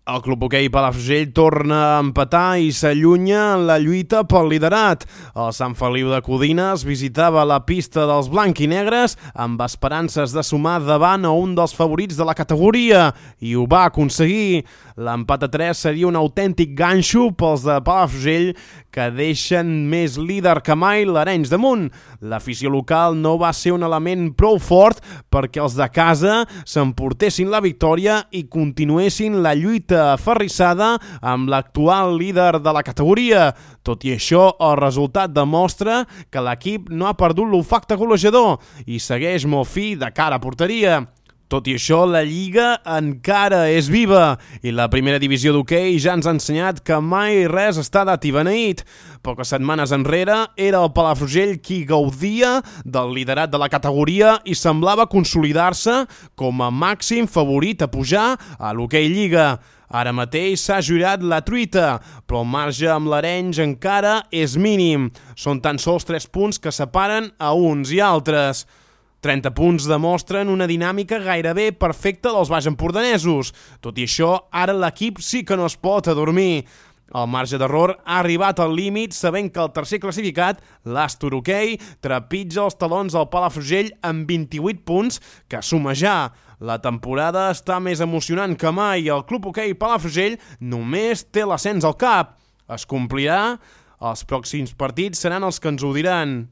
El Club Hoquei Palafrugell torna a empatar i s'allunya en la lluita pel liderat. El Sant Feliu de Codines visitava la pista dels blanc-i-negres amb esperances de sumar davant a un dels favorits de la categoria i ho va aconseguir. L'empat a 3 seria un autèntic ganxo pels de Palafrugell que deixen més líder que mai l'Arenys de Munt. L'afició local no va ser un element prou fort perquè els de casa s'emportessin la victòria i continuessin la lluita aferrissada amb l'actual líder de la categoria. Tot i això, el resultat demostra que l'equip no ha perdut l'olfacte golejador i segueix molt fi de cara a porteria. Tot i això, la Lliga encara és viva i la primera divisió d'hoquei ja ens ha ensenyat que mai res està dat i beneït. Poques setmanes enrere era el Palafrugell qui gaudia del liderat de la categoria i semblava consolidar-se com a màxim favorit a pujar a l'hoquei Lliga. Ara mateix s'ha jurat la truita, però el marge amb l'Arenys encara és mínim. Són tan sols 3 punts que separen a uns i altres. 30 punts demostren una dinàmica gairebé perfecta dels baix empordanesos. Tot i això, ara l'equip sí que no es pot adormir. El marge d'error ha arribat al límit sabent que el tercer classificat, l'Astor Hoquei, trepitja els talons del Palafrugell amb 28 punts que suma ja. La temporada està més emocionant que mai i el Club Hoquei Palafrugell només té l'ascens al cap. Es complirà? Els pròxims partits seran els que ens ho diran.